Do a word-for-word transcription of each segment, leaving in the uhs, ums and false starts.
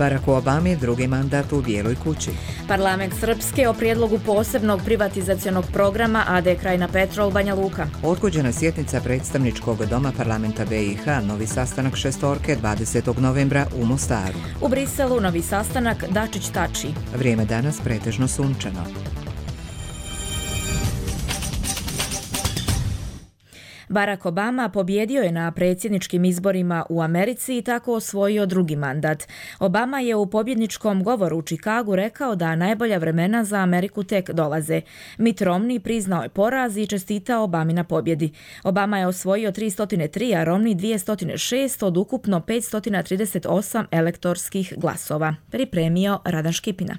Baracku Obami drugi mandat u Bijeloj kući. Parlament Srpske o prijedlogu posebnog privatizacionog programa A D Krajina Petrol Banja Luka. Odgođena sjednica predstavničkog doma parlamenta B i H, novi sastanak šestorke dvadesetog novembra u Mostaru. U Briselu novi sastanak Dačić-Tači. Vrijeme danas pretežno sunčano. Barack Obama pobjedio je na predsjedničkim izborima u Americi i tako osvojio drugi mandat. Obama je u pobjedničkom govoru u Čikagu rekao da najbolja vremena za Ameriku tek dolaze. Mitt Romney priznao je poraz i čestitao Obami na pobjedi. Obama je osvojio tristo tri, a Romney dvjesto šest od ukupno petsto trideset osam elektorskih glasova. Pripremio Radan Škipina.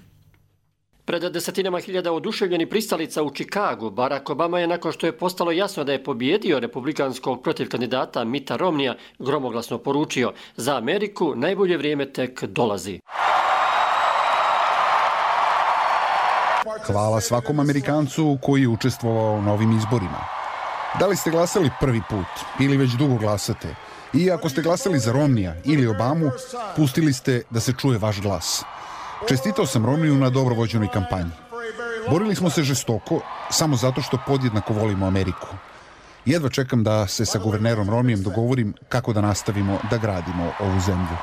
Pred desetinama hiljada oduševljenih pristalica u Čikagu, Barack Obama je, nakon što je postalo jasno da je pobjedio republikanskog protiv kandidata Mitta Romneya, gromoglasno poručio: za Ameriku najbolje vrijeme tek dolazi. Hvala svakom Amerikancu koji je učestvovao na ovim izborima. Da li ste glasali prvi put ili već dugo glasate? I ako ste glasali za Romneya ili Obamu, pustili ste da se čuje vaš glas. Čestitao sam Romneyu na dobro vođenoj kampanji. Borili smo se žestoko, samo zato što podjednako volimo Ameriku. Jedva čekam da se sa guvernerom Romneyem dogovorim kako da nastavimo da gradimo ovu zemlju.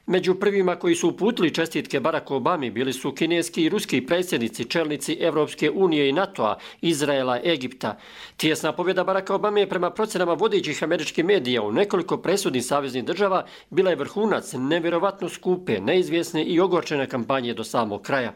Među prvima koji su uputili čestitke Baracku Obami bili su kineski i ruski predsjednici, čelnici Evropske unije i NATO-a, Izraela, Egipta. Tijesna pobjeda Baracka Obame je prema procenama vodećih američkih medija u nekoliko presudnih saveznih država bila je vrhunac nevjerovatno skupe, neizvjesne i ogorčene kampanje do samog kraja.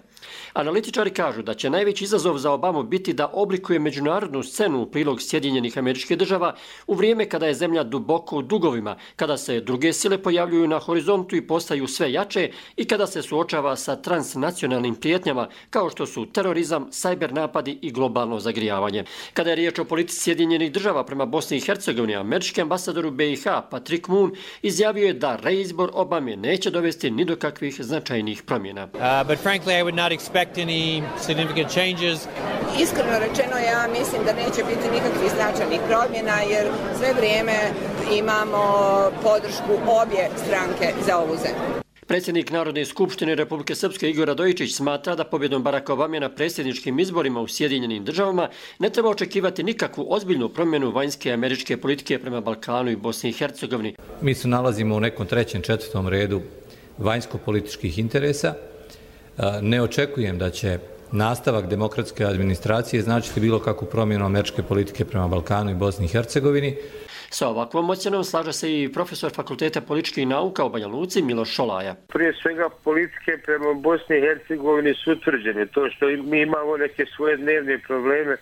Analitičari kažu da će najveći izazov za Obamu biti da oblikuje međunarodnu scenu u prilog Sjedinjenih Američkih Država u vrijeme kada je zemlja duboko u dugovima, kada se druge sile pojavljuju na horizontu i postaju sve jače i kada se suočava sa transnacionalnim prijetnjama kao što su terorizam, sajber napadi i globalno zagrijavanje. Kada je riječ o politici Sjedinjenih Država prema Bosni i Hercegovini, američki ambasador u B i H Patrick Moon izjavio je da reizbor Obame neće dovesti ni do kakvih značajnih promjena. Uh, but frankly, I would not expect any significant changes. Iskreno rečeno, ja mislim da neće biti nikakvih značajnih promjena jer sve vrijeme imamo podršku obje stranke za ovu zemlju. Predsjednik Narodne skupštine Republike Srpske Igor Radojičić smatra da pobjedom Baracka Obame na predsjedničkim izborima u Sjedinjenim Državama ne treba očekivati nikakvu ozbiljnu promjenu vanjske američke politike prema Balkanu i Bosni i Hercegovini. Mi se nalazimo u nekom trećem, četvrtom redu vanjsko-političkih interesa. Ne očekujem da će nastavak demokratske administracije značiti bilo kakvu promjenu američke politike prema Balkanu i Bosni i Hercegovini. Sa ovakvom ocjenom slaže se i profesor Fakulteta političkih nauka u Banja Luci Miloš Šolaja. Prije svega politike prema Bosni i Hercegovini su utvrđene. To što mi imamo neke svoje dnevne probleme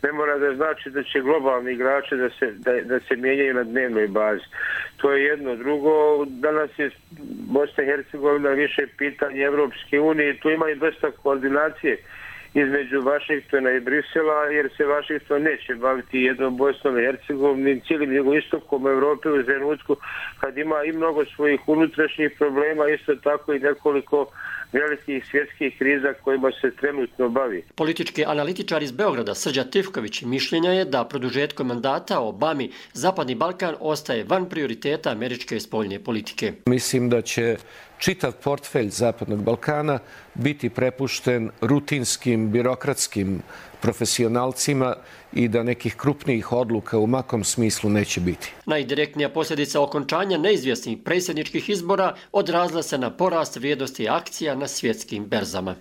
ne mora da znači da će globalni igrači da se, da, da se mijenjaju na dnevnoj bazi. To je jedno. Drugo, danas je Bosna i Hercegovina više pitanje Evropske unije. Tu ima i dosta koordinacije između Vašingtona i Brisela, jer se Vašington neće baviti jednom Bosnom i Hercegovinom, cijelim jugoistokom Evrope u trenutku kad ima i mnogo svojih unutrašnjih problema, isto tako i nekoliko velikih svjetskih kriza kojima se trenutno bavi. Politički analitičar iz Beograda Srđan Tivković mišljenja je da produžetkom mandata Obami Zapadni Balkan ostaje van prioriteta američke spoljne politike. Mislim da će čitav portfelj Zapadnog Balkana biti prepušten rutinskim, birokratskim profesionalcima i da nekih krupnijih odluka u makom smislu neće biti. Najdirektnija posljedica okončanja neizvjesnih predsjedničkih izbora odrazila se na porast vrijednosti akcija na svjetskim berzama.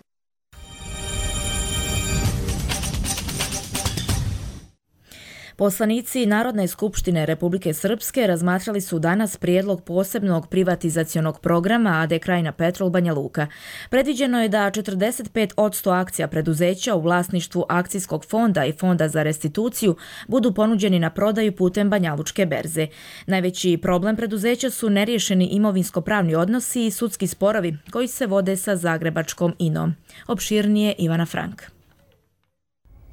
Poslanici Narodne skupštine Republike Srpske razmatrali su danas prijedlog posebnog privatizacionog programa A D Krajina Petrol Banja Luka. Predviđeno je da četrdeset pet posto akcija preduzeća u vlasništvu akcijskog fonda i fonda za restituciju budu ponuđeni na prodaju putem Banjalučke berze. Najveći problem preduzeća su neriješeni imovinsko-pravni odnosi i sudski sporovi koji se vode sa zagrebačkom I N O-om. Opširnije Ivana Frank.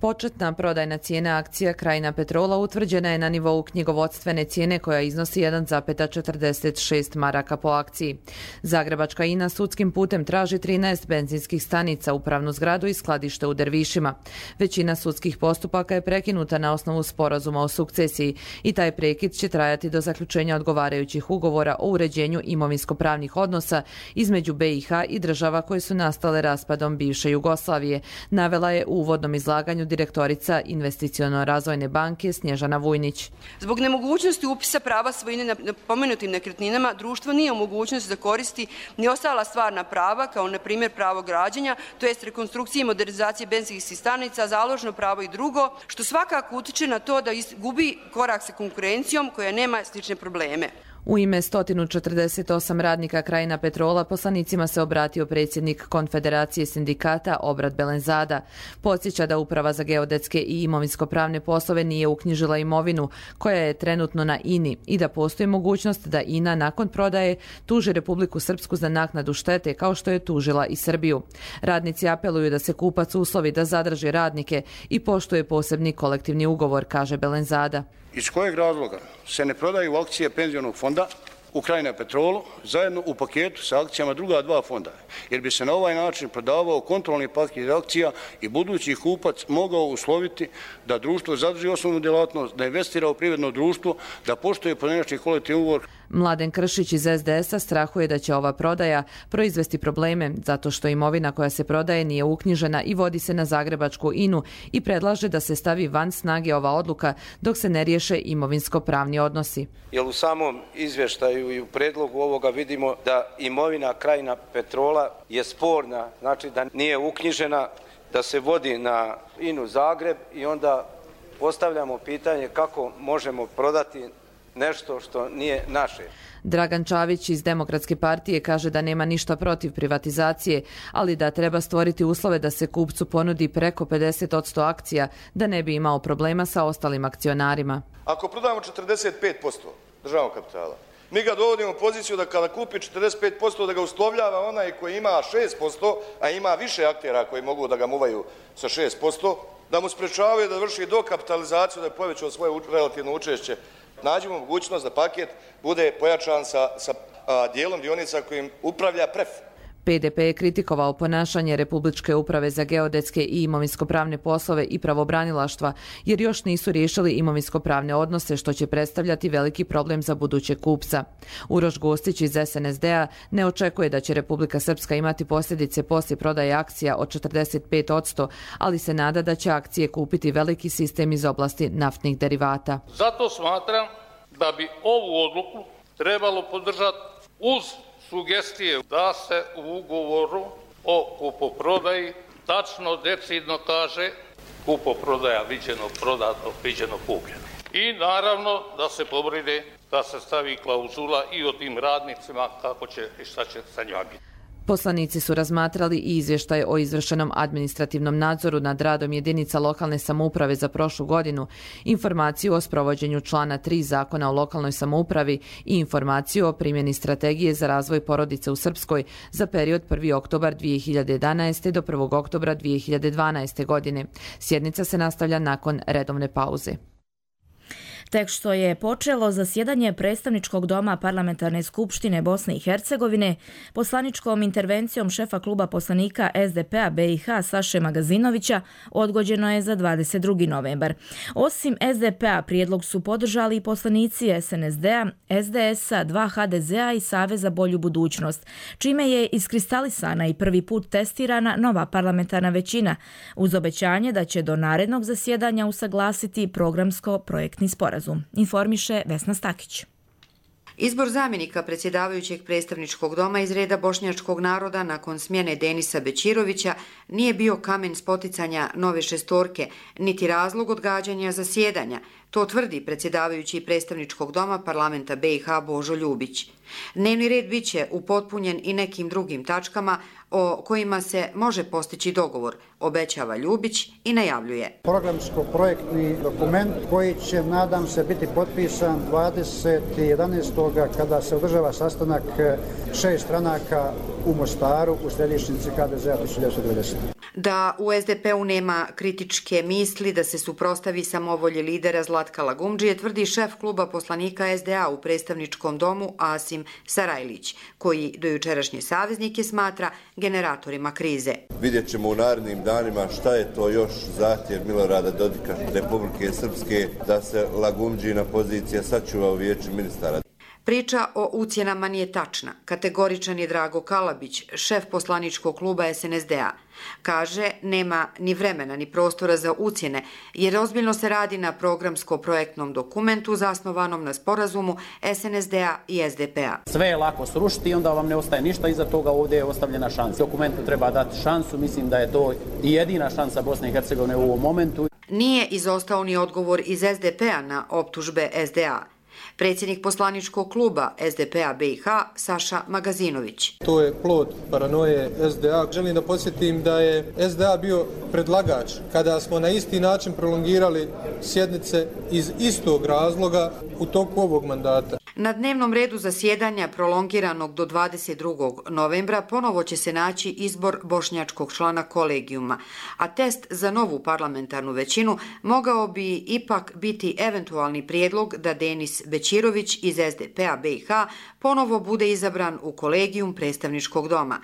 Početna prodajna cijena akcija Krajina Petrola utvrđena je na nivou knjigovodstvene cijene koja iznosi jedan zarez četrdeset šest maraka po akciji. Zagrebačka I N A sudskim putem traži trinaest benzinskih stanica, upravnu zgradu i skladište u Dervišima. Većina sudskih postupaka je prekinuta na osnovu sporazuma o sukcesiji i taj prekid će trajati do zaključenja odgovarajućih ugovora o uređenju imovinsko-pravnih odnosa između B i H i država koje su nastale raspadom bivše Jugoslavije, navela je u uvodnom izlaganju direktorica Investiciono-razvojne banke Snježana Vujnić. Zbog nemogućnosti upisa prava svojine na pomenutim nekretninama, društvo nije u mogućnosti da koristi ni ostala stvarna prava, kao na primjer pravo građenja, to jest rekonstrukcije i modernizacije benzinskih stanica, založno pravo i drugo, što svakako utiče na to da gubi korak sa konkurencijom koja nema slične probleme. U ime sto četrdeset osam radnika Krajina Petrola poslanicima se obratio predsjednik Konfederacije sindikata Obrad Belenzada. Podsjeća da Uprava za geodetske i imovinsko-pravne poslove nije uknjižila imovinu koja je trenutno na I N I i da postoji mogućnost da I N A nakon prodaje tuži Republiku Srpsku za naknadu štete kao što je tužila i Srbiju. Radnici apeluju da se kupac uslovi da zadrži radnike i poštuje posebni kolektivni ugovor, kaže Belenzada. Iz kojeg razloga se ne prodaju akcije penzionog fonda u Krajina Petrolu zajedno u paketu sa akcijama druga dva fonda, jer bi se na ovaj način prodavao kontrolni paket akcija i budući kupac mogao usloviti da društvo zadrži osnovnu djelatnost, da investira u privredno društvo, da poštuje pojedinačni kolektivni ugovor. Mladen Kršić iz S D S-a strahuje da će ova prodaja proizvesti probleme zato što imovina koja se prodaje nije uknjižena i vodi se na zagrebačku I N U i predlaže da se stavi van snage ova odluka dok se ne riješe imovinsko-pravni odnosi. Jer u samom izvještaju i u predlogu ovoga vidimo da imovina Krajina Petrola je sporna, znači da nije uknjižena, da se vodi na I N U Zagreb i onda postavljamo pitanje kako možemo prodati nešto što nije naše. Dragan Čavić iz Demokratske partije kaže da nema ništa protiv privatizacije, ali da treba stvoriti uslove da se kupcu ponudi preko pedeset posto akcija, da ne bi imao problema sa ostalim akcionarima. Ako prodamo četrdeset pet posto državnog kapitala, mi ga dovodimo u poziciju da kada kupi četrdeset pet posto da ga uslovljava onaj koji ima šest posto, a ima više aktera koji mogu da ga muvaju sa šest posto, da mu sprečavaju da vrši dokapitalizaciju, da je povećao svoje relativno učešće. Nađemo mogućnost da paket bude pojačan sa, sa a, dijelom dionica kojim upravlja P R E F. P D P je kritikovao ponašanje Republičke uprave za geodetske i imovinsko-pravne poslove i pravobranilaštva, jer još nisu riješili imovinsko-pravne odnose, što će predstavljati veliki problem za buduće kupca. Uroš Gostić iz S N S D-a ne očekuje da će Republika Srpska imati posljedice poslije prodaje akcija od četrdeset pet posto, ali se nada da će akcije kupiti veliki sistem iz oblasti naftnih derivata. Zato smatram da bi ovu odluku trebalo podržati uz sugestije da se u ugovoru o kupoprodaji tačno, decidno kaže kupoprodaja viđeno prodato, viđeno kupljeno. I naravno da se pobrine da se stavi klauzula i o tim radnicima kako će i šta će sa njima biti. Poslanici su razmatrali i izvještaj o izvršenom administrativnom nadzoru nad radom jedinica lokalne samouprave za prošlu godinu, informaciju o sprovođenju člana tri Zakona o lokalnoj samoupravi i informaciju o primjeni strategije za razvoj porodice u Srpskoj za period prvi oktobar dvije hiljade jedanaeste. do prvog oktobra dvije hiljade dvanaeste. godine. Sjednica se nastavlja nakon redovne pauze. Tek što je počelo zasjedanje predstavničkog doma Parlamentarne skupštine Bosne i Hercegovine, poslaničkom intervencijom šefa kluba poslanika S D P-a B i H Saše Magazinovića odgođeno je za dvadeset drugi novembar. Osim S D P-a prijedlog su podržali i poslanici S N S D-a, S D S-a, dva H D Z-a i Savez za bolju budućnost, čime je iskristalisana i prvi put testirana nova parlamentarna većina, uz obećanje da će do narednog zasjedanja usaglasiti programsko-projektni sporazum. Informiše Vesna Stakić. Izbor zamjenika predsjedavajućeg predstavničkog doma iz reda bošnjačkog naroda nakon smjene Denisa Bećirovića nije bio kamen spoticanja nove šestorke, niti razlog odgađanja zasjedanja. To tvrdi predsjedavajući predstavničkog doma parlamenta B i H Božo Ljubić. Dnevni red bit će upotpunjen i nekim drugim tačkama o kojima se može postići dogovor, obećava Ljubić i najavljuje. Programsko-projektni dokument koji će, nadam se, biti potpisan dvadeset jedanaestog kada se održava sastanak šest stranaka u Mostaru u središnjici H D Z-a tisuću devetsto devedesete. Da u es de pe u nema kritičke misli da se suprostavi samovolji lidera Zlatka Lagumdžije, tvrdi šef kluba poslanika es de a u predstavničkom domu Asim Sarajlić, koji do jučerašnje saveznike smatra generatorima krize. Vidjet ćemo u narednim danima šta je to još zahtjev Milorada Dodika Republike Srpske da se Lagumdžijina pozicija sačuva u vijeću ministara. Priča o ucjenama nije tačna. Kategoričan je Drago Kalabić, šef poslaničkog kluba es en es de a. Kaže, nema ni vremena ni prostora za ucjene, jer ozbiljno se radi na programsko-projektnom dokumentu zasnovanom na sporazumu es en es de a i es de pe a. Sve je lako srušiti i onda vam ne ostaje ništa, iza toga ovdje je ostavljena šansa. Dokumentu treba dati šansu, mislim da je to i jedina šansa Bosne i Hercegovine u ovom momentu. Nije izostao ni odgovor iz es de pe a na optužbe es de a. Predsjednik poslaničkog kluba es de pe a be i ha Saša Magazinović. To je plod paranoje es de a. Želim da podsjetim da je es de a bio predlagač kada smo na isti način prolongirali sjednice iz istog razloga u toku ovog mandata. Na dnevnom redu zasjedanja prolongiranog do dvadeset drugog novembra ponovo će se naći izbor bošnjačkog člana kolegijuma, a test za novu parlamentarnu većinu mogao bi ipak biti eventualni prijedlog da Denis Bećirović iz es de pe a be i ha ponovo bude izabran u kolegijum predstavničkog doma.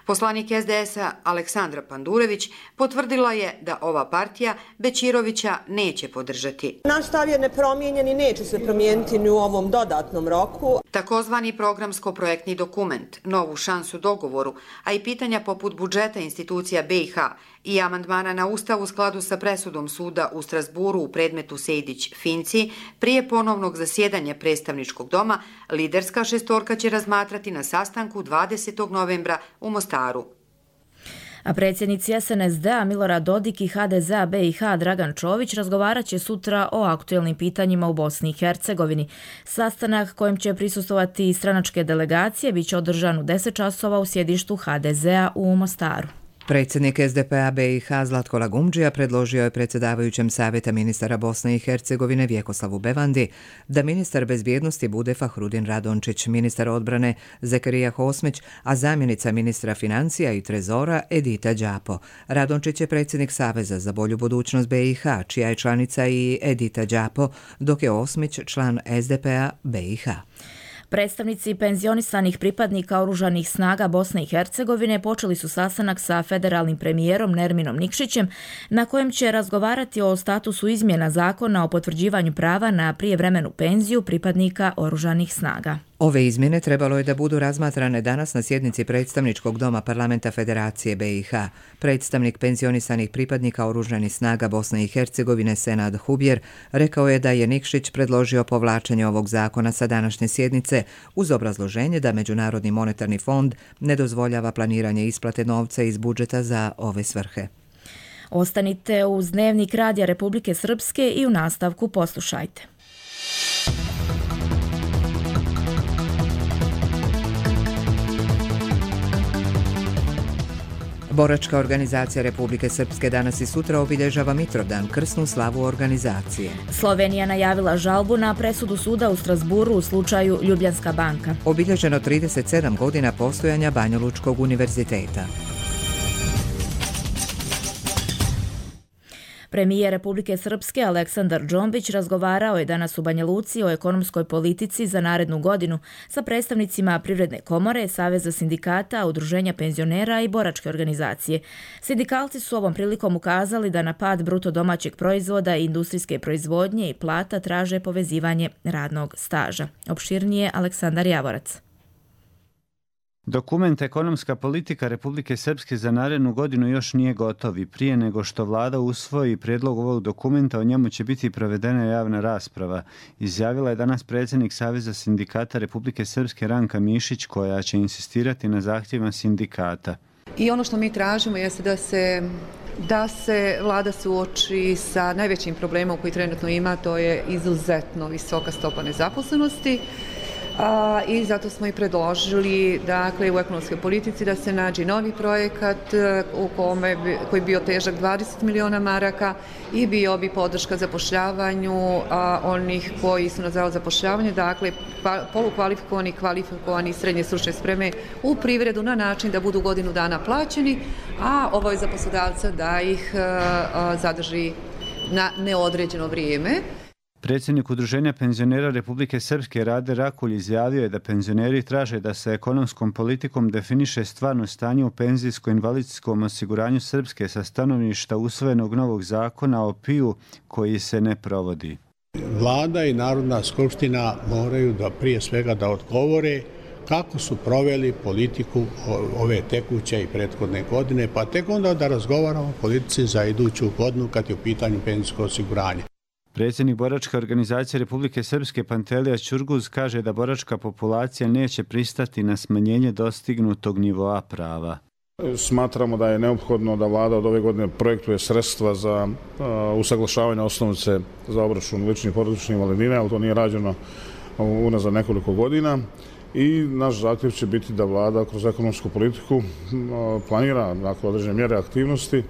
Poslanik es de es a Aleksandra Pandurević potvrdila je da ova partija Bećirovića neće podržati. Naš stav je nepromijenjen i neće se promijeniti ni u ovom dodatnom roku. Takozvani programsko-projektni dokument, novu šansu dogovoru, a i pitanja poput budžeta institucija be i ha i amandmana na Ustav u skladu sa presudom suda u Strasburu u predmetu Sejdić-Finci, prije ponovnog zasjedanja predstavničkog doma, liderska šestorka će razmatrati na sastanku dvadesetog novembra u Mostaru. A predsjednici es en es de a Milorad Dodik i ha de ze a be i ha Dragan Čović razgovarat će sutra o aktuelnim pitanjima u Bosni i Hercegovini. Sastanak kojem će prisustvovati stranačke delegacije bit će održan u deset časova u sjedištu ha de ze a u Mostaru. Predsjednik es de pe a be i ha Zlatko Lagumdžija predložio je predsjedavajućem Savjeta ministara Bosne i Hercegovine Vjekoslavu Bevandi da ministar bezbjednosti bude Fahrudin Radončić, ministar odbrane Zekarija Hosmić, a zamjenica ministra financija i trezora Edita Đapo. Radončić je predsjednik Saveza za bolju budućnost be i ha, čija je članica i Edita Đapo, dok je Osmić član es de pe a be i ha. Predstavnici penzionisanih pripadnika oružanih snaga Bosne i Hercegovine počeli su sastanak sa federalnim premijerom Nerminom Nikšićem, na kojem će razgovarati o statusu izmjena zakona o potvrđivanju prava na prijevremenu penziju pripadnika oružanih snaga. Ove izmjene trebalo je da budu razmatrane danas na sjednici predstavničkog doma Parlamenta Federacije be i ha. Predstavnik penzionisanih pripadnika oružanih snaga Bosne i Hercegovine Senad Hubjer rekao je da je Nikšić predložio povlačenje ovog zakona sa današnje sjednice uz obrazloženje da Međunarodni monetarni fond ne dozvoljava planiranje isplate novca iz budžeta za ove svrhe. Ostanite uz Dnevnik Radija Republike Srpske i u nastavku poslušajte. Boračka organizacija Republike Srpske danas i sutra obilježava Mitrovdan, krsnu slavu organizacije. Slovenija najavila žalbu na presudu suda u Strasburu u slučaju Ljubljanska banka. Obilježeno trideset sedam godina postojanja Banjalučkog univerziteta. Premijer Republike Srpske Aleksandar Džombić razgovarao je danas u Banja Luci o ekonomskoj politici za narednu godinu sa predstavnicima Privredne komore, Saveza sindikata, Udruženja penzionera i boračke organizacije. Sindikalci su ovom prilikom ukazali da na pad bruto domaćeg proizvoda i industrijske proizvodnje i plata traže povezivanje radnog staža. Opširnije Aleksandar Javorac. Dokument Ekonomska politika Republike Srpske za narednu godinu još nije gotov i prije nego što vlada usvoji prijedlog ovog dokumenta, o njemu će biti provedena javna rasprava. Izjavila je danas predsjednik Saveza sindikata Republike Srpske Ranka Mišić, koja će insistirati na zahtjevima sindikata. I ono što mi tražimo jeste da se, da se vlada suoči sa najvećim problemom koji trenutno ima, to je izuzetno visoka stopa nezaposlenosti. A, i zato smo i predložili dakle, u ekonomskoj politici da se nađe novi projekat u kome bi, koji bi bio težak dvadeset miliona maraka i bio bi podrška zapošljavanju a, onih koji su na zavod zapošljavanje, dakle polukvalifikovani, kvalifikovani srednje stručne spreme u privredu na način da budu godinu dana plaćeni, a obaveza poslodavca da ih a, a, zadrži na neodređeno vrijeme. Predsjednik Udruženja penzionera Republike Srpske Rade Rakulj izjavio je da penzioneri traže da se ekonomskom politikom definiše stvarno stanje u penzijsko-invalidskom osiguranju Srpske sa stanovišta usvojenog novog zakona o P I U koji se ne provodi. Vlada i Narodna skupština moraju da prije svega da odgovore kako su proveli politiku ove tekuće i prethodne godine, pa tek onda da razgovaramo o politici za iduću godinu kad je u pitanju penzijsko osiguranje. Predsjednik boračke organizacije Republike Srpske Pantelija Ćurguz kaže da boračka populacija neće pristati na smanjenje dostignutog nivoa prava. Smatramo da je neophodno da vlada od ove godine projektuje sredstva za uh, usaglašavanje osnovice za obračun ličnih porodičnih invalidnina, ali to nije rađeno unazad nekoliko godina. I naš zahtjev će biti da vlada kroz ekonomsku politiku uh, planira dakle, određene mjere aktivnosti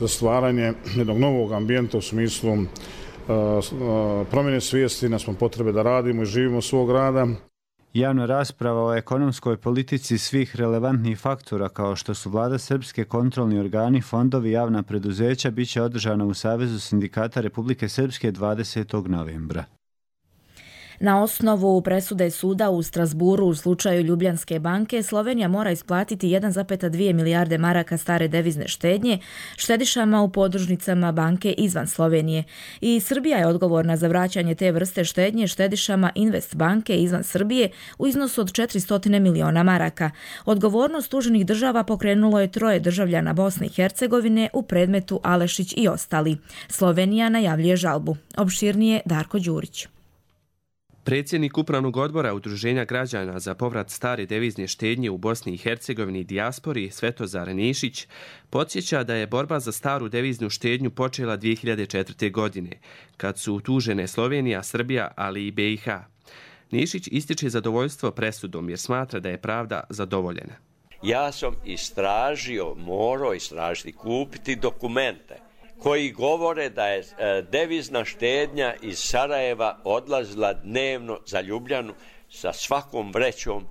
za stvaranje jednog novog ambijenta u smislu uh, uh, promjene svijesti, nas smo potrebe da radimo i živimo svog rada. Javna rasprava o ekonomskoj politici svih relevantnih faktora kao što su vlada Srpske, kontrolni organi, fondovi, javna preduzeća bit će održana u Savezu sindikata Republike Srpske dvadesetog novembra. Na osnovu presude suda u Strasburu u slučaju Ljubljanske banke, Slovenija mora isplatiti jedan zarez dvije milijarde maraka stare devizne štednje štedišama u podružnicama banke izvan Slovenije. I Srbija je odgovorna za vraćanje te vrste štednje štedišama Invest banke izvan Srbije u iznosu od četiristo miliona maraka. Odgovornost tuženih država pokrenulo je troje državljana Bosne i Hercegovine u predmetu Alešić i ostali. Slovenija najavljuje žalbu. Opširnije Darko Đurić. Predsjednik Upravnog odbora Udruženja građana za povrat stare devizne štednje u Bosni i Hercegovini i dijaspori Svetozar Nešić podsjeća da je borba za staru deviznu štednju počela dvije hiljade četvrte. godine, kad su tužene Slovenija, Srbija, ali i B i H. Nešić ističe zadovoljstvo presudom jer smatra da je pravda zadovoljena. Ja sam istražio, morao istražiti, kupiti dokumente koji govore da je devizna štednja iz Sarajeva odlazila dnevno za Ljubljanu sa svakom vrećom,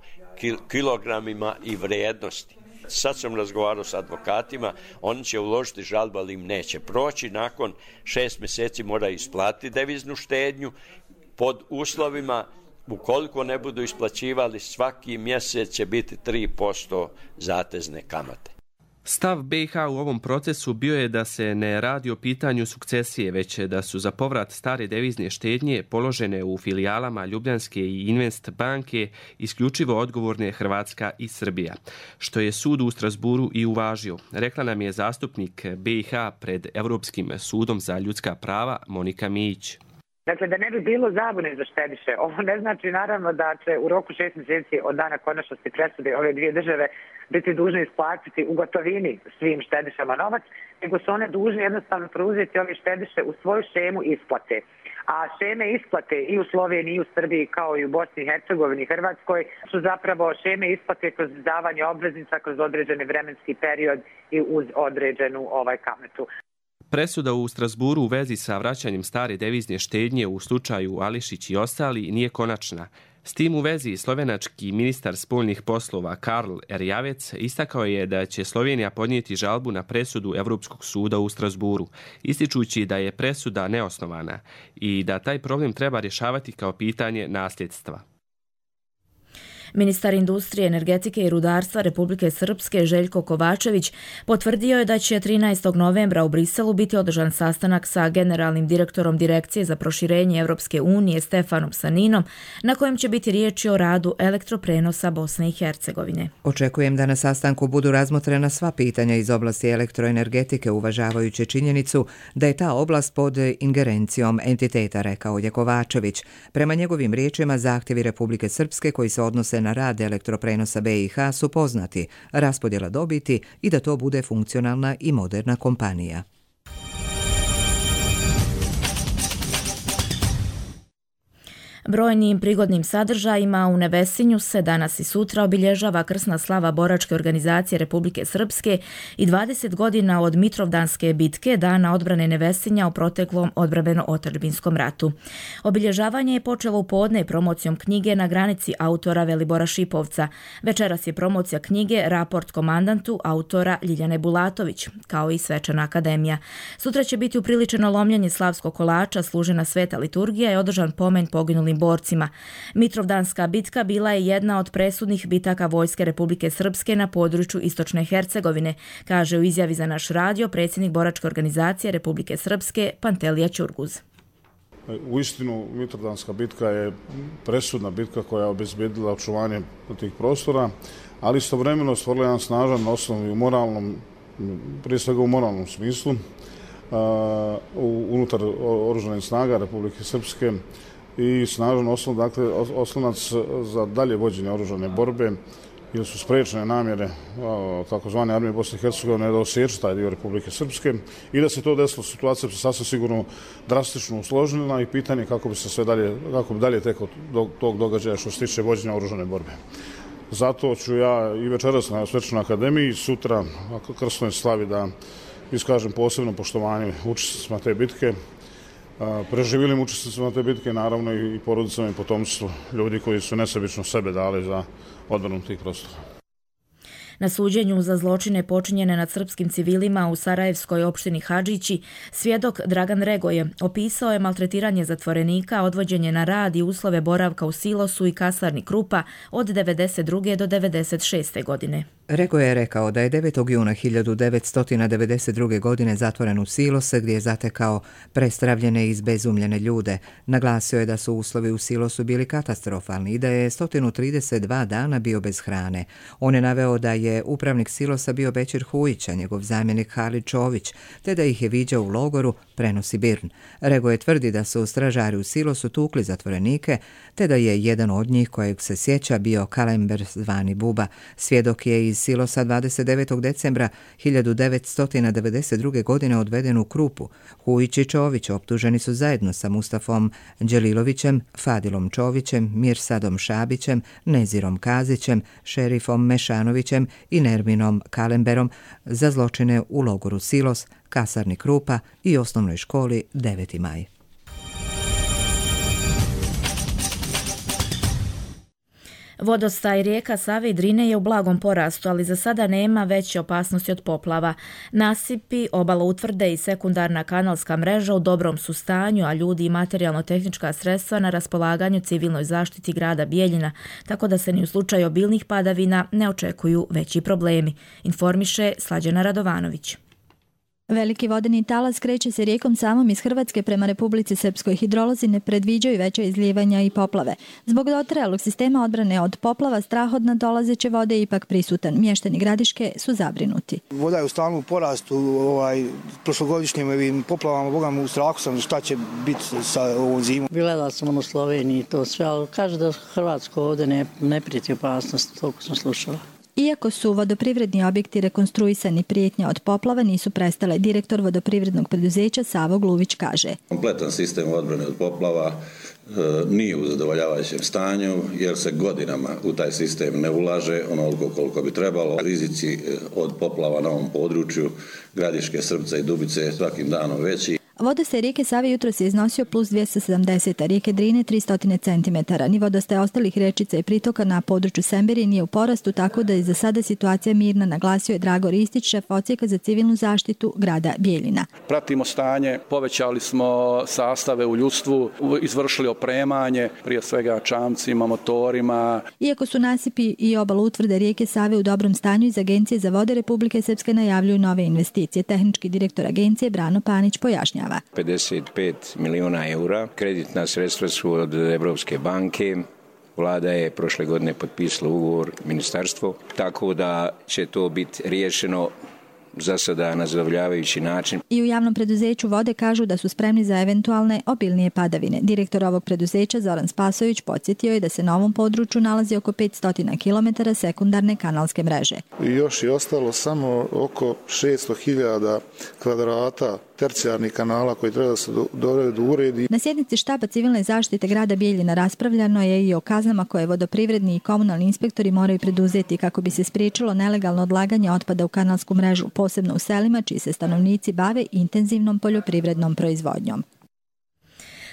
kilogramima i vrijednosti. Sad sam razgovarao s advokatima, oni će uložiti žalbu, ali im neće proći. Nakon šest mjeseci mora isplatiti deviznu štednju pod uslovima, ukoliko ne budu isplaćivali, svaki mjesec će biti tri posto zatezne kamate. Stav B i H u ovom procesu bio je da se ne radi o pitanju sukcesije, već da su za povrat stare devizne štednje položene u filijalama Ljubljanske i Invest banke isključivo odgovorne Hrvatska i Srbija, što je sud u Strasburu i uvažio. Rekla nam je zastupnik B i H pred Europskim sudom za ljudska prava Monika Mijić. Dakle, da ne bi bilo zabune za štediše, ovo ne znači naravno da će u roku šest mjeseci od dana konačnosti presude ove dvije države biti dužne isplatiti u gotovini svim štedišama novac, nego su one dužne jednostavno preuzeti ove štediše u svoju šemu isplate. A šeme isplate i u Sloveniji i u Srbiji kao i u Bosni i Hercegovini i Hrvatskoj su zapravo šeme isplate kroz izdavanje obveznica kroz određeni vremenski period i uz određenu ovaj kamatu. Presuda u Strasburu u vezi sa vraćanjem stare devizne štednje u slučaju Ališić i ostali nije konačna. S tim u vezi slovenački ministar spoljnih poslova Karl Erjavec istakao je da će Slovenija podnijeti žalbu na presudu Europskog suda u Strasburu, ističući da je presuda neosnovana i da taj problem treba rješavati kao pitanje nasljedstva. Ministar industrije, energetike i rudarstva Republike Srpske Željko Kovačević potvrdio je da će trinaestog novembra u Briselu biti održan sastanak sa generalnim direktorom Direkcije za proširenje Europske unije Stefanom Saninom, na kojem će biti riječi o radu elektroprenosa Bosne i Hercegovine. Očekujem da na sastanku budu razmotrena sva pitanja iz oblasti elektroenergetike, uvažavajući činjenicu da je ta oblast pod ingerencijom entiteta, rekao je Kovačević. Prema njegovim riječima, zahtjevi Republike Srpske koji se odnose na rad elektroprenosa B i H su poznati, raspodjela dobiti i da to bude funkcionalna i moderna kompanija. Brojnim prigodnim sadržajima u Nevesinju se danas i sutra obilježava krsna slava boračke organizacije Republike Srpske i dvadeset godina od Mitrovdanske bitke, dana odbrane Nevesinja u proteklom odbrambeno-otadžbinskom ratu. Obilježavanje je počelo u podne promocijom knjige Na granici autora Velibora Šipovca. Večeras je promocija knjige Raport komandantu autora Ljiljane Bulatović, kao i svečana akademija. Sutra će biti upriličeno lomljenje slavskog kolača, služena sveta liturgija i održan pomen poginulim borcima. Mitrovdanska bitka bila je jedna od presudnih bitaka Vojske Republike Srpske na području Istočne Hercegovine, kaže u izjavi za naš radio predsjednik boračke organizacije Republike Srpske Pantelija Ćurguz. Uistinu, Mitrovdanska bitka je presudna bitka koja je obezbedila očuvanje tih prostora, ali istovremeno stvorila jedan snažan osnov i u moralnom, prije svega u moralnom smislu, unutar oružanih snaga Republike Srpske i snažan osnov, dakle, oslonac za dalje vođenje oružane borbe, jer su sprečene namjere takozvane armije Bosne i Hercegovine da osjeća taj dio Republike Srpske i da se to desilo, situacija bi se sasvim sigurno drastično usložila i pitanje kako bi se sve dalje, kako bi dalje teko tog događaja što se tiče vođenja oružane borbe. Zato ću ja i večeras na svečanoj akademiji, sutra na krsnoj slavi da iskažem posebno poštovanje učesnicima te bitke, preživilim učesnicima te bitke, naravno i porodicama i potomstvu ljudi koji su nesebično sebe dali za odbranu tih prostora. Na suđenju za zločine počinjene nad srpskim civilima u sarajevskoj opštini Hadžići, svjedok Dragan Regoje opisao je maltretiranje zatvorenika, odvođenje na rad i uslove boravka u silosu i kasarni Krupa od devedeset druge do devedeset šeste godine. Regoje je rekao da je devetog juna hiljadu devetsto devedeset druge. godine zatvoren u silose gdje je zatekao prestravljene i izbezumljene ljude. Naglasio je da su uslovi u silosu bili katastrofalni i da je sto trideset dva dana bio bez hrane. On je naveo da je upravnik silosa bio Bećir Hujić, a njegov zamjenik Halid Čović, te da ih je viđao u logoru, prenosi Birn. Regoje tvrdi da su stražari u silosu tukli zatvorenike, te da je jedan od njih kojeg se sjeća bio Kalember zvani Buba. Svjedok je iz silosa dvadeset devetog decembra hiljadu devetsto devedeset druge. godine odveden u Krupu. Hujić i Čović optuženi su zajedno sa Mustafom Đelilovićem, Fadilom Čovićem, Mirsadom Šabićem, Nezirom Kazićem, Šerifom Mešanovićem i Nerminom Kalemberom za zločine u logoru Silos, kasarni Krupa i osnovnoj školi deveti maj. Vodostaj rijeka Save i Drine je u blagom porastu, ali za sada nema veće opasnosti od poplava. Nasipi, obala utvrde i sekundarna kanalska mreža u dobrom su stanju, a ljudi i materijalno-tehnička sredstva na raspolaganju civilnoj zaštiti grada Bijeljina, tako da se ni u slučaju obilnih padavina ne očekuju veći problemi, informiše Slađana Radovanović. Veliki vodeni talas kreće se rijekom Savom iz Hrvatske prema Republici Srpskoj. Hidrolozi ne predviđaju veća izlijevanja i poplave. Zbog dotrajalog sistema odbrane od poplava, strah od nadolazeće vode je ipak prisutan. Mještani Gradiške su zabrinuti. Voda je u stalnom porastu, ovaj, prošlogodišnjim ovim poplavama, bogam u strahu sam šta će biti sa ovom zimom. Gledala sam ono Sloveniji to sve, ali kaže da Hrvatsko ovdje ne, ne prijeti opasnost, toliko sam slušala. Iako su vodoprivredni objekti rekonstruisani, prijetnja od poplava nisu prestale. Direktor vodoprivrednog preduzeća Savo Gluvić kaže. Kompletan sistem odbrane od poplava e, nije u zadovoljavajućem stanju jer se godinama u taj sistem ne ulaže onoliko koliko bi trebalo. Rizici od poplava na ovom području Gradiške, Srpca i Dubice svakim danom veći. Vodostaj rijeke Save jutros je iznosio plus dvjesto sedamdeset, a rijeke Drine tristo centimetara. Ni vodostaj ostalih rečica i pritoka na području Semberije nije u porastu, tako da je za sada situacija mirna, naglasio je Drago Ristić, šef odsjeka za civilnu zaštitu grada Bijeljina. Pratimo stanje, povećali smo sastave u ljudstvu, izvršili opremanje, prije svega čamcima, motorima. Iako su nasipi i obala utvrde rijeke Save u dobrom stanju, iz Agencije za vode Republike Srpske najavljuju nove investicije. Tehnički direktor agencije Brano Panić pojašnjava. pedeset pet miliona eura. Kreditna sredstva su od Evropske banke. Vlada je prošle godine potpisala ugovor ministarstvo, tako da će to biti riješeno za sada na zadovoljavajući način. I u javnom preduzeću vode kažu da su spremni za eventualne obilnije padavine. Direktor ovog preduzeća Zoran Spasović podsjetio je da se na ovom području nalazi oko petsto kilometara sekundarne kanalske mreže. I još je ostalo samo oko šesto hiljada kvadrata tercijarnih kanala koji treba da se dovedu u uredi. Na sjednici štaba civilne zaštite grada Bijeljina raspravljano je i o kaznama koje vodoprivredni i komunalni inspektori moraju preduzeti kako bi se spriječilo nelegalno odlaganje otpada u kanalsku mrežu, posebno u selima čiji se stanovnici bave intenzivnom poljoprivrednom proizvodnjom.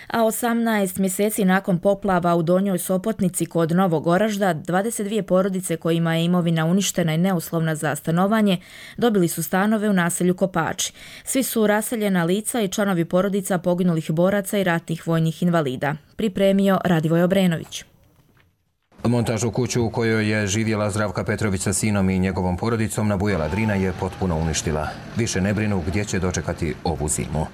A osamnaest mjeseci nakon poplava u Donjoj Sopotnici kod Novog Oražda, dvadeset dvije porodice kojima je imovina uništena i neuslovna za stanovanje dobili su stanove u naselju Kopači. Svi su raseljena lica i članovi porodica poginulih boraca i ratnih vojnih invalida. Pripremio Radivoj Obrenović. Montažu kuću u kojoj je živjela Zdravka Petrović sa sinom i njegovom porodicom nabujala Drina je potpuno uništila. Više ne brinu gdje će dočekati ovu zimu.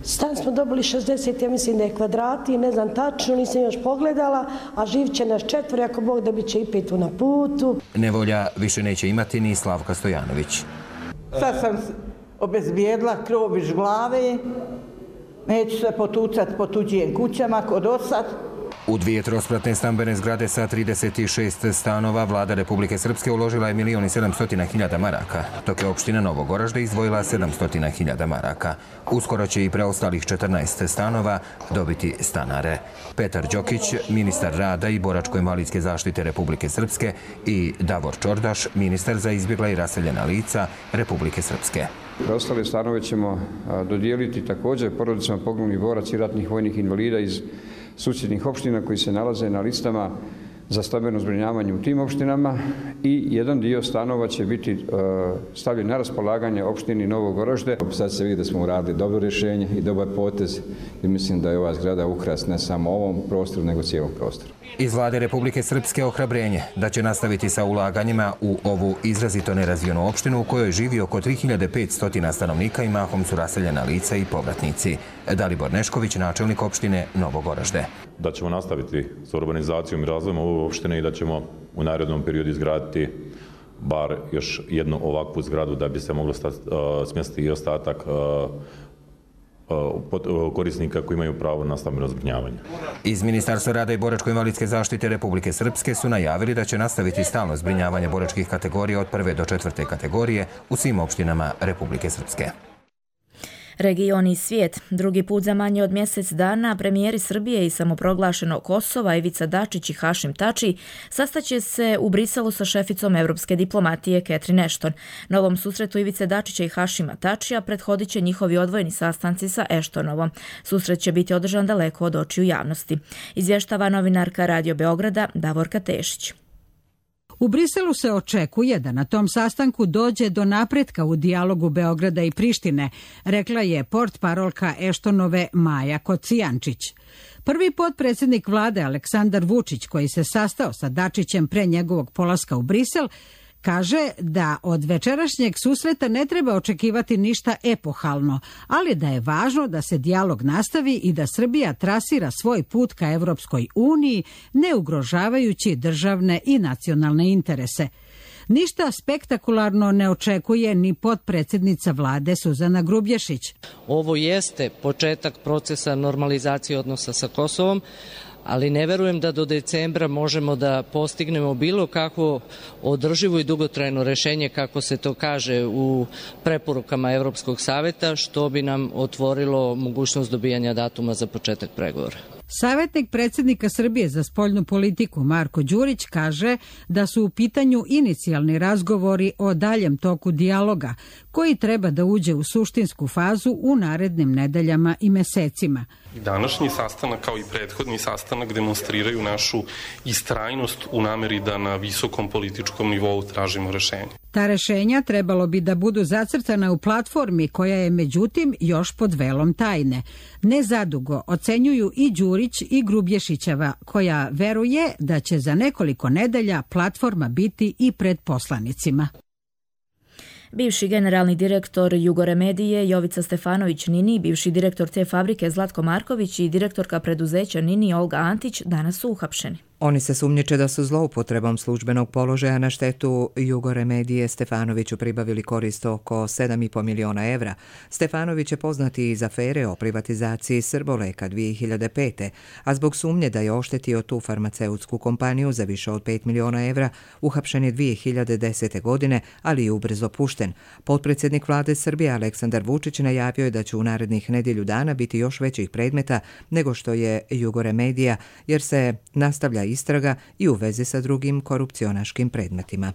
Stan smo dobili šezdeset, ja mislim da je kvadrati, ne znam tačno, nisam još pogledala, a živit će nas četvori, ako Bog da bit će i pet na putu. Nevolja više neće imati ni Slavka Stojanović. Sad sam obezbijedila krov iz glave, neću se potucat po tuđim kućama kod osad. U dvije trospratne stambene zgrade sa trideset šest stanova vlada Republike Srpske uložila je milion i sedamsto hiljada maraka, dok je opština Novog Oražda izdvojila sedamsto hiljada maraka. Uskoro će i preostalih četrnaest stanova dobiti stanare. Petar Đokić, ministar rada i boračko-invalidske zaštite Republike Srpske, i Davor Čordaš, ministar za izbjegla i raseljena lica Republike Srpske. Preostale stanove ćemo dodijeliti također porodicama poginulih boraca i ratnih vojnih invalida iz susjednih opština koji se nalaze na listama za stambeno zbrinjavanje u tim opštinama, i jedan dio stanova će biti uh, stavljen na raspolaganje opštini Novog Oražde. Sad se vidi da smo uradili dobro rješenje i dobar potez i mislim da je ova zgrada ukras ne samo ovom prostoru nego cijelom prostoru. Iz vlade Republike Srpske ohrabrenje da će nastaviti sa ulaganjima u ovu izrazito nerazvijenu opštinu u kojoj živi oko tri hiljade petsto stanovnika i mahom su raseljena lica i povratnici. Dalibor Nešković, načelnik opštine Novog Oražde. Da ćemo nastaviti s urbanizacijom i razvojem ove opštine i da ćemo u narednom periodu izgraditi bar još jednu ovakvu zgradu da bi se moglo smjestiti i ostatak korisnika koji imaju pravo na stambeno zbrinjavanje. Iz Ministarstva rada i boračko-invalidske zaštite Republike Srpske su najavili da će nastaviti stalno zbrinjavanje boračkih kategorija od prve do četvrte kategorije u svim opštinama Republike Srpske. Region i svijet. Drugi put za manje od mjesec dana premijeri Srbije i samoproglašenog Kosova Ivica Dačić i Hašim Tači sastaće se u Briselu sa šeficom evropske diplomatije Catherine Ashton. Na ovom susretu Ivice Dačića i Hašima Tačija prethodit će njihovi odvojeni sastanci sa Ashtonovom. Susret će biti održan daleko od očiju javnosti. Izvještava novinarka Radio Beograda Davorka Tešić. U Briselu se očekuje da na tom sastanku dođe do napretka u dijalogu Beograda i Prištine, rekla je portparolka Eštonove Maja Kocijančić. Prvi potpredsjednik vlade Aleksandar Vučić, koji se sastao sa Dačićem pre njegovog polaska u Brisel, kaže da od večerašnjeg susreta ne treba očekivati ništa epohalno, ali da je važno da se dijalog nastavi i da Srbija trasira svoj put ka Evropskoj uniji, ne ugrožavajući državne i nacionalne interese. Ništa spektakularno ne očekuje ni potpredsjednica vlade Suzana Grubješić. Ovo jeste početak procesa normalizacije odnosa sa Kosovom, ali ne verujem da do decembra možemo da postignemo bilo kakvo održivo i dugotrajno rješenje, kako se to kaže u preporukama Evropskog savjeta, što bi nam otvorilo mogućnost dobijanja datuma za početak pregovora. Savjetnik predsjednika Srbije za spoljnu politiku Marko Đurić kaže da su u pitanju inicijalni razgovori o daljem toku dijaloga, koji treba da uđe u suštinsku fazu u narednim nedeljama i mesecima. Današnji sastanak kao i prethodni sastanak demonstriraju našu istrajnost u nameri da na visokom političkom nivou tražimo rešenje. Ta rešenja trebalo bi da budu zacrtana u platformi koja je međutim još pod velom tajne. Nezadugo ocenjuju i Đurić i Grubješićeva, koja veruje da će za nekoliko nedelja platforma biti i pred poslanicima. Bivši generalni direktor Jugoremedije Jovica Stefanović Nini, bivši direktor te fabrike Zlatko Marković i direktorka preduzeća Nini Olga Antić danas su uhapšeni. Oni se sumnjiče da su zloupotrebom službenog položaja na štetu Jugoremedije Stefanoviću pribavili korist oko sedam i po miliona evra. Stefanović je poznati iz afere o privatizaciji Srboleka dvije hiljade pete. a zbog sumnje da je oštetio tu farmaceutsku kompaniju za više od pet miliona evra, uhapšen je dvije hiljade desete. godine, ali je ubrzo pušten. Potpredsjednik vlade Srbije Aleksandar Vučić najavio je da će u narednih nedjelju dana biti još većih predmeta nego što je Jugoremedija, jer se nastavlja istraga i u vezi sa drugim korupcionaškim predmetima.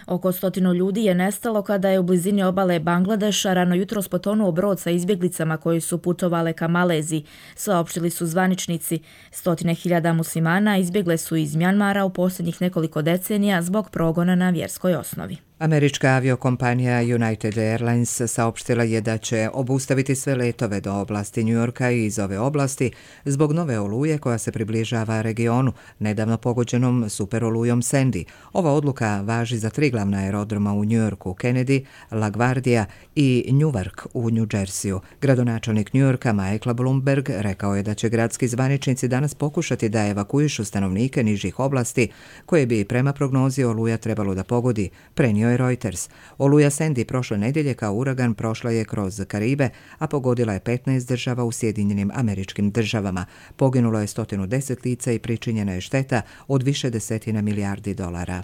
Oko stotinu ljudi je nestalo kada je u blizini obale Bangladeša rano jutros potonuo brod sa izbjeglicama koji su putovale ka Maleziji. Saopštili su zvaničnici. Stotine hiljada muslimana izbjegle su iz Mjanmara u posljednjih nekoliko decenija zbog progona na vjerskoj osnovi. Američka aviokompanija United Airlines saopštila je da će obustaviti sve letove do oblasti New Yorka i iz ove oblasti zbog nove oluje koja se približava regionu, nedavno pogođenom superolujom Sandy. Ova odluka važi za tri glavna aerodroma u New Yorku, Kennedy, LaGuardia i Newark u New Jerseyu. Gradonačelnik New Yorka Michael Bloomberg rekao je da će gradski zvaničnici danas pokušati da evakuišu stanovnike nižih oblasti koje bi prema prognozi oluja trebalo da pogodi, prenio je Reuters. Oluja Sandy prošle nedjelje kao uragan prošla je kroz Karibe, a pogodila je petnaest država u Sjedinjenim Američkim Državama. Poginulo je sto deset lica i pričinjena je šteta od više desetina milijardi dolara.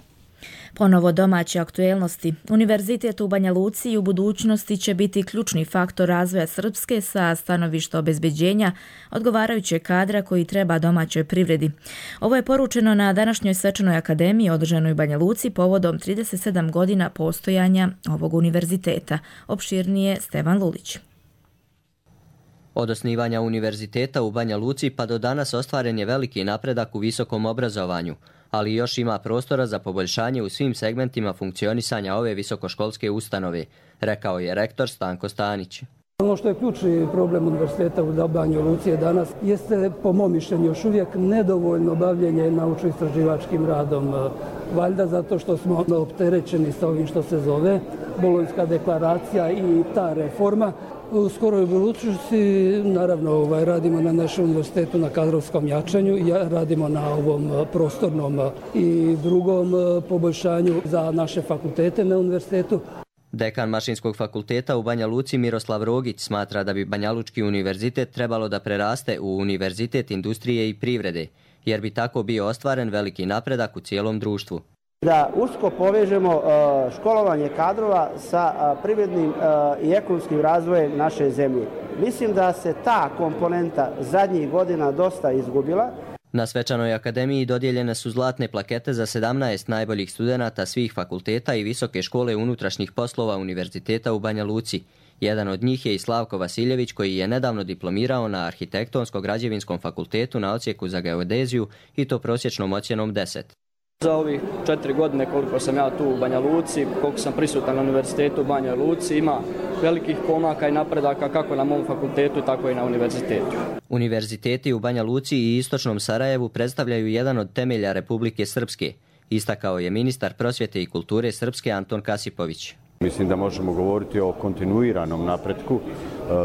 Ponovo domaće aktuelnosti. Univerzitet u Banja Luci u budućnosti će biti ključni faktor razvoja Srpske sa stanovišta obezbeđenja odgovarajućeg kadra koji treba domaćoj privredi. Ovo je poručeno na današnjoj svečanoj akademiji održanoj u Banja Luci povodom trideset sedam godina postojanja ovog univerziteta. Opširnije Stevan Lulić. Od osnivanja univerziteta u Banja Luci pa do danas ostvaren je veliki napredak u visokom obrazovanju, ali još ima prostora za poboljšanje u svim segmentima funkcionisanja ove visokoškolske ustanove, rekao je rektor Stanko Stanić. Ono što je ključni problem univerziteta u Banja Luci je danas jeste, po mom mišljenju, još uvijek nedovoljno bavljenje naučno-istraživačkim radom. Valjda zato što smo opterećeni sa ovim što se zove Bolonjska deklaracija i ta reforma. U skoroj budućnosti, naravno, ovaj, radimo na našem univerzitetu na kadrovskom jačanju, radimo na ovom prostornom i drugom poboljšanju za naše fakultete na univerzitetu. Dekan Mašinskog fakulteta u Banja Luci Miroslav Rogić smatra da bi Banjalučki univerzitet trebalo da preraste u univerzitet industrije i privrede, jer bi tako bio ostvaren veliki napredak u cijelom društvu. Da usko povežemo školovanje kadrova sa privrednim i ekonomskim razvojem naše zemlje. Mislim da se ta komponenta zadnjih godina dosta izgubila. Na svečanoj akademiji dodijeljene su zlatne plakete za sedamnaest najboljih studenata svih fakulteta i Visoke škole unutrašnjih poslova Univerziteta u Banja Luci. Jedan od njih je i Slavko Vasiljević, koji je nedavno diplomirao na Arhitektonsko-građevinskom fakultetu na odsjeku za geodeziju i to prosječnom ocjenom deset. Za ovih četiri godine koliko sam ja tu u Banja Luci, koliko sam prisutan na univerzitetu u Banja Luci, ima velikih pomaka i napredaka kako na mom fakultetu, tako i na univerzitetu. Univerziteti u Banja Luci i Istočnom Sarajevu predstavljaju jedan od temelja Republike Srpske, istakao je ministar prosvjete i kulture Srpske Anton Kasipović. Mislim da možemo govoriti o kontinuiranom napretku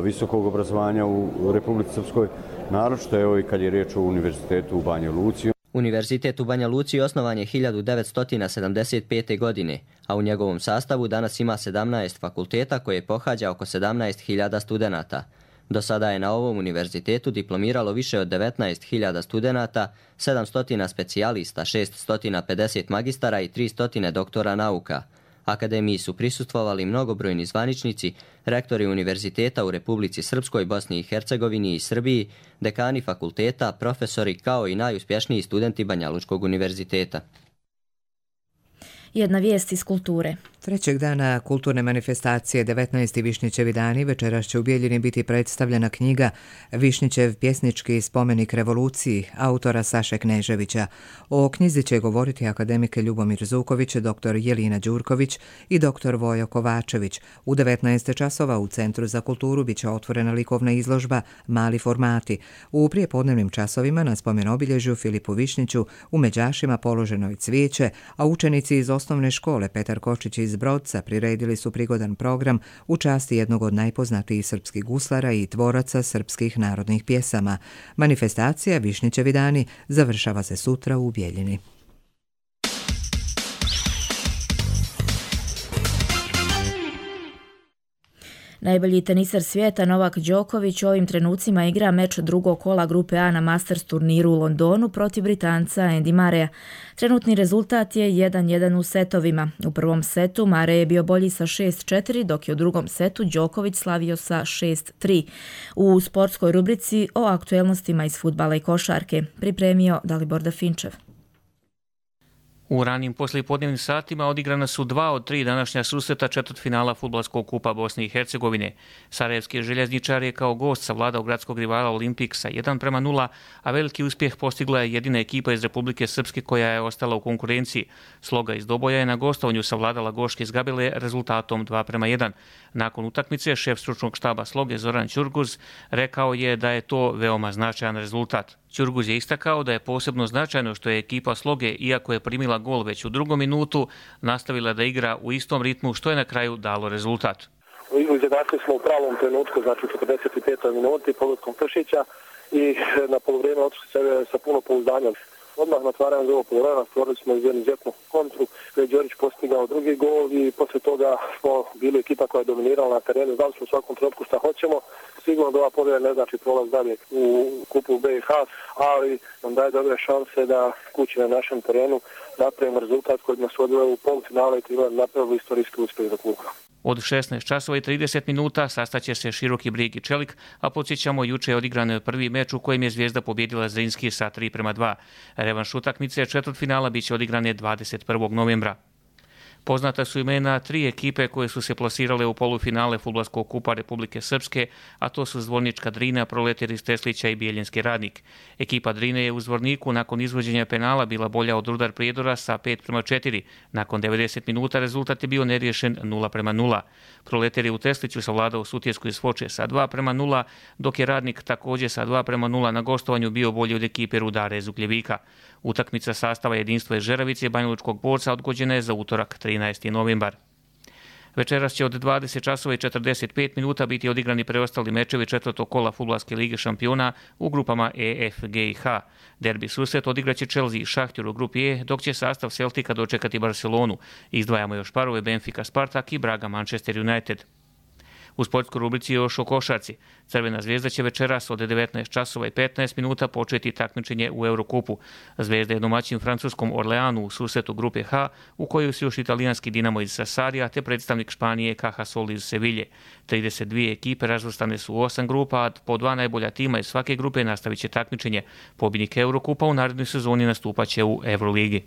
visokog obrazovanja u Republici Srpskoj, naročito evo i kad je riječ o univerzitetu u Banja Luci. Univerzitet u Banja Luci osnovan je hiljadu devetsto sedamdeset pete. godine, a u njegovom sastavu danas ima sedamnaest fakulteta koje pohađa oko sedamnaest hiljada studenata. Do sada je na ovom univerzitetu diplomiralo više od devetnaest hiljada studenata, sedamsto specijalista, šesto pedeset magistara i tristo doktora nauka. Akademiji su prisustvovali mnogobrojni zvaničnici, rektori univerziteta u Republici Srpskoj, Bosni i Hercegovini i Srbiji, dekani fakulteta, profesori kao i najuspješniji studenti Banjalučkog univerziteta. Jedna vijest iz kulture. Trećeg dana kulturne manifestacije devetnaesti Višnjićevi dani večeras će u Bijeljini biti predstavljena knjiga Višnjićev pjesnički spomenik revoluciji autora Saše Kneževića. O knjizi će govoriti akademik Ljubomir Zuković, doktor Jelina Đurković i doktor Vojo Kovačević. U devetnaest časova u Centru za kulturu biće otvorena likovna izložba Mali formati. U prijepodnevnim časovima na spomen obilježju Filipu Višnjiću u Međašima položeno je cvijeće, a učenici iz osnovne škole Petar Kočić iz Brodca priredili su prigodan program u časti jednog od najpoznatijih srpskih guslara i tvoraca srpskih narodnih pjesama. Manifestacija Višnjićevi dani završava se sutra u Bijeljini. Najbolji teniser svijeta Novak Đoković u ovim trenucima igra meč drugog kola grupe A na Masters turniru u Londonu protiv Britanca Andy Murraya. Trenutni rezultat je jedan jedan u setovima. U prvom setu Murray je bio bolji sa šest četiri, dok je u drugom setu Đoković slavio sa šest tri. U sportskoj rubrici o aktuelnostima iz fudbala i košarke pripremio Dalibor Dafinčev. U ranim poslijepodnevnim satima odigrana su dva od tri današnja susreta četvrtfinala Fudbalskog kupa Bosne i Hercegovine. Sarajevski željezničar je kao gost savladao gradskog rivala Olimpik sa jedan prema nula, a veliki uspjeh postigla je jedina ekipa iz Republike Srpske koja je ostala u konkurenciji. Sloga iz Doboja je na gostovanju savladala Goške iz Gabele rezultatom dva prema jedan. Nakon utakmice šef stručnog štaba Sloge Zoran Ćurguz rekao je da je to veoma značajan rezultat. Ćurguz je istakao da je posebno značajno što je ekipa Sloge, iako je primila gol već u drugom minutu, nastavila da igra u istom ritmu, što je na kraju dalo rezultat. Izjednačili smo u pravom trenutku, znači u četrdeset petoj minuti pogodkom Pršića i na polovrijeme otišli sebe sa puno pouzdanja. Odmah na otvaranju drugog poluvremena stvorili smo izuzetnu kontru, gdje je Đorić postigao drugi gol i poslije toga smo bili ekipa koja je dominirala na terenu. Znali smo u svakom trenutku šta hoćemo. Sigurno da ova pobjeda ne znači prolaz dalje u kupu B i H, ali nam daje dobre šanse da kući na našem terenu napravimo rezultat koji nas odveo u polufinale i treba napravili istorijski uspjeh za klub. Od šesnaest časova i trideset minuta sastaće se Široki Brijeg i Čelik, a podsjećamo juče je odigran prvi meč u kojem je Zvijezda pobjedila Zrinski sa tri prema dva. Revanš utakmice četvrtfinala biće odigrane dvadeset prvog novembra. Poznata su imena tri ekipe koje su se plasirale u polufinale Fudbalskog kupa Republike Srpske, a to su Zvornička Drina, Proletar iz Teslića i Bijeljinski Radnik. Ekipa Drine je u Zvorniku nakon izvođenja penala bila bolja od Rudar Prijedora sa pet prema četiri. Nakon devedeset minuta rezultat je bio neriješen nula prema nula. Proletar je u Tesliću savladao Sutjesku iz Foče sa dva prema nula, dok je Radnik također sa dva prema nula na gostovanju bio bolji od ekipe Rudara iz Ugljevika. Utakmica sastava Jedinstva iz Žeravice i Banjalučkog Borca odgođena je za utorak trinaesti novembar. Večeras će od dvadeset časova i četrdeset pet minuta biti odigrani preostali mečevi četvrtog kola Fudbalske lige šampiona u grupama E, F, G i H. Derbi susret odigraće Chelsea i Šahtjur u grupi E, dok će sastav Celtica dočekati Barcelonu. Izdvajamo još parove Benfica Spartak i Braga Manchester United. U sportskoj rubrici još o košarci. Crvena Zvijezda će večeras od devetnaest časova i petnaest minuta početi takmičenje u Eurokupu. Zvijezda je domaćin francuskom Orleanu u susretu grupe H, u kojoj su još italijanski Dinamo iz Sassarija te predstavnik Španije Cajasol iz Sevilje. trideset dvije ekipe razvrstane su u osam grupa, a po dva najbolja tima iz svake grupe nastavit će takmičenje. Pobjednik Eurokupa u narednoj sezoni nastupaće u Euroligi.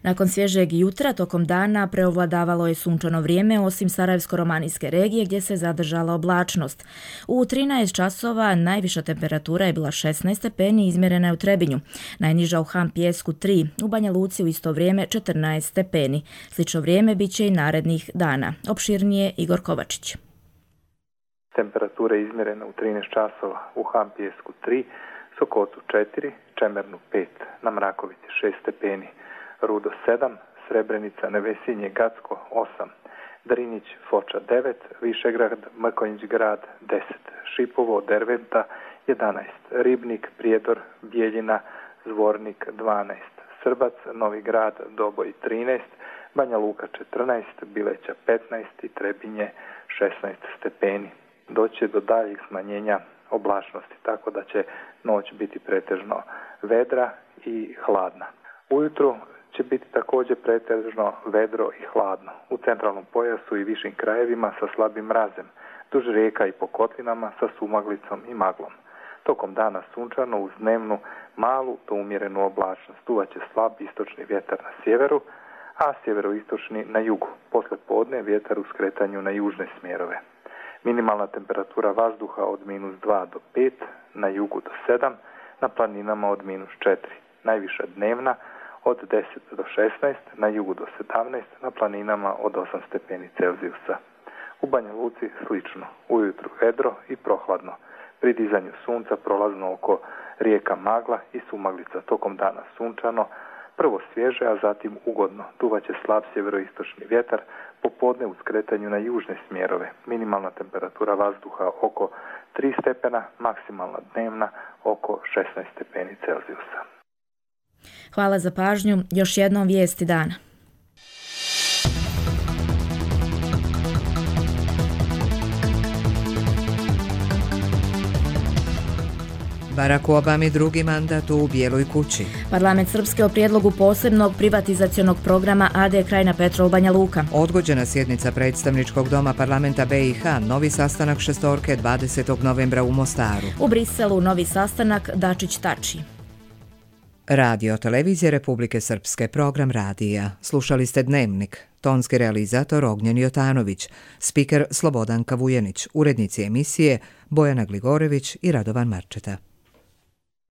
Nakon svježeg jutra, tokom dana preovladavalo je sunčano vrijeme, osim Sarajevsko-romanijske regije gdje se zadržala oblačnost. U trinaest časova najviša temperatura je bila šesnaest stepeni, izmjerena je u Trebinju. Najniža u Han Pijesku tri, u Banja Luci u isto vrijeme četrnaest stepeni. Slično vrijeme bit će i narednih dana. Opširnije Igor Kovačić. Temperatura je izmjerena u trinaest časova u Han Pijesku tri, Sokotu četiri, Čemernu pet, na Mrakovici šest stepeni. Rudo sedam, Srebrenica, Nevesinje, Gacko osam, Drinić, Foča devet, Višegrad, Mrkonjić grad deset, Šipovo, Derventa jedanaest, Ribnik, Prijedor, Bijeljina, Zvornik dvanaest, Srbac, Novi grad, Doboj trinaest, Banja Luka četrnaest, Bileća petnaest i Trebinje šesnaest stepeni. Doće do daljih smanjenja oblačnosti, tako da će noć biti pretežno vedra i hladna. Ujutro će biti također pretežno vedro i hladno. U centralnom pojasu i višim krajevima sa slabim mrazem, duž rijeka i po kotlinama sa sumaglicom i maglom. Tokom dana sunčano uz dnevnu malu do umjerenu oblačnost. Duvaće slab istočni vjetar na sjeveru, a sjeveroistočni na jugu. Posle podne vjetar u skretanju na južne smjerove. Minimalna temperatura vazduha od minus dva do pet, na jugu do sedam, na planinama od minus četiri. Najviša dnevna od deset do šesnaest, na jugu do sedamnaest, na planinama od osam stepeni Celzijusa. U Banja Luci slično, ujutru vedro i prohladno. Pri dizanju sunca prolazno oko rijeka magla i sumaglica, tokom dana sunčano, prvo svježe, a zatim ugodno. Duvaće slab sjeveroistočni vjetar, popodne u skretanju na južne smjerove. Minimalna temperatura vazduha oko tri stepena, maksimalna dnevna oko šesnaest stepeni Celzijusa. Hvala za pažnju. Još jednom vijesti dana. Barack Obami drugi mandat u Bijeloj kući. Parlament Srpske o prijedlogu posebnog privatizacionog programa A D Krajina Petrol Banja Luka. Odgođena sjednica predstavničkog doma parlamenta B i H, novi sastanak šestorke dvadesetog novembra u Mostaru. U Briselu novi sastanak Dačić-Tači. Radio Televizije Republike Srpske, program radija. Slušali ste Dnevnik. Tonski realizator Ognjen Jotanović, spiker Slobodanka Vujenić, urednici emisije Bojana Gligorević i Radovan Marčeta.